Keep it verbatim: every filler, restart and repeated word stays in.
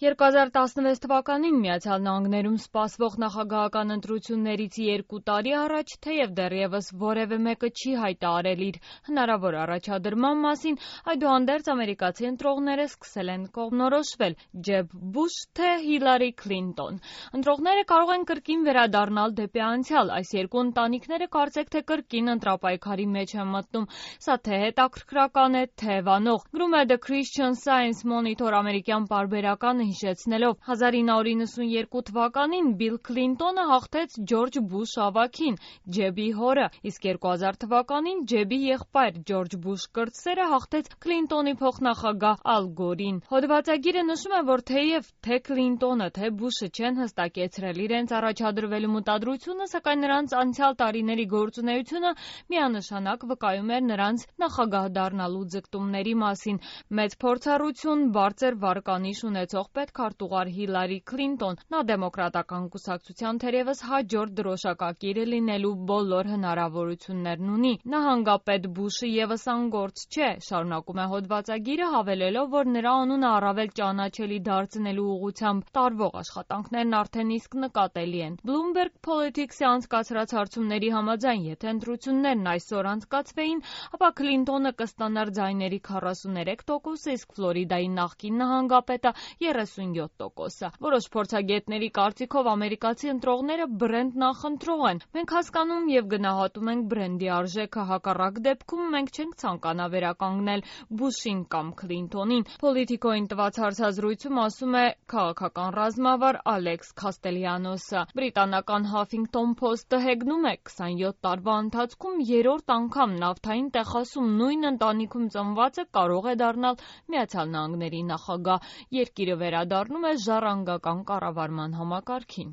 երկու հազար տասնվեց թվականին Միացյալ Նահանգներում սպասվող նախագահական ընտրություններից երկու տարի առաջ, թեև դեռևս որևէ մեկը չի հայտարարել իր հնարավոր առաջադրման մասին, այդուհանդերձ ամերիկացի ընտրողները սկսել են կողմնորոշվել Ջեբ Բուշ թե Հիլարի Քլինտոն։ Ընտրողները կարող են կրկին վերադառնալ դեպի անցյալ, այս երկու ընտանիքները կարծեք թե կրկին ընտրապայքարի մեջ են մտնում, սա թե հետաքրքրական է, թե վանող։ Գրում է The Christian Science Monitor ամերիկյան պարբերականը հիշեցնելով հազար ինը հարյուր նվաթ թվականին Բիլ Քլինտոնը հաղթեց Ջորջ Բուշ ավագին, Ջեբի հորը, իսկ երկու հազար թվականին Ջեբի եղբայր Ջորջ Բուշ կրտսերը հաղթեց Քլինտոնի փոխնախագահ Ալ Գորին։ Հոդվածագիրը նշում է, որ թեև թե Քլինտոնը, թե Բուշը չեն հստակեցրել իրենց առաջադրվելու մտադրությունը, սակայն նրանց անցյալ տարիների գործունեությունը միանշանակ վկայում էր նրանց նախագահ դառնալու ձգտումների մասին։ Մեծ փորձառություն, բարձր վարկանիշ ունեցող պետքարտուղար Հիլարի Քլինտոն, նա դեմոկրատական կուսակցության թերևս հաջորդ դրոշակակիրը լինելու բոլոր հնարավորություններն ունի։ Նահանգապետ Բուշը ևս անգործ չէ, շարունակում է հոդվածագիրը, հավելելով, որ նրա անունը առավել ճանաչելի դարձնելու ուղղությամբ տարվող աշխատանքներն արդեն իսկ նկատելի են։ Bloomberg Politics-ի անցկացրած հարցումների համաձայն, եթե ընտրություններն այսօր անցկացվեին, ապա Քլինտոնը կստանար ձայների քառասուներեք տոկոսը, իսկ Ֆլորիդայի նախկին նահանգապետը երեսունյոթ տոկոսը։ Որոշ փորձագետների կարծիքով ամերիկացի ընտրողները բրենդ նախընտրող են։ Մենք հասկանում և գնահատում ենք բրենդի արժեքը, հակառակ դեպքում մենք չենք ցանկանա վերականգնել Բուշին կամ Քլինտոնին։ Politico-ին տված հարցազրույցում ասում է քաղաքական ռազմավար Ալեքս Քաստելյանոսը։ Բրիտանական Huffington Post-ը հեգնում է քսանյոթ տարվա ընթացքում երրորդ անգամ նավթային տեխասում նույն ընտանիքում ծնվածը կարող է դառնալ Միացյալ Նահանգների նախագահ։ Երկիրը վերադառնում է ժառանգական կառավարման համակարգին։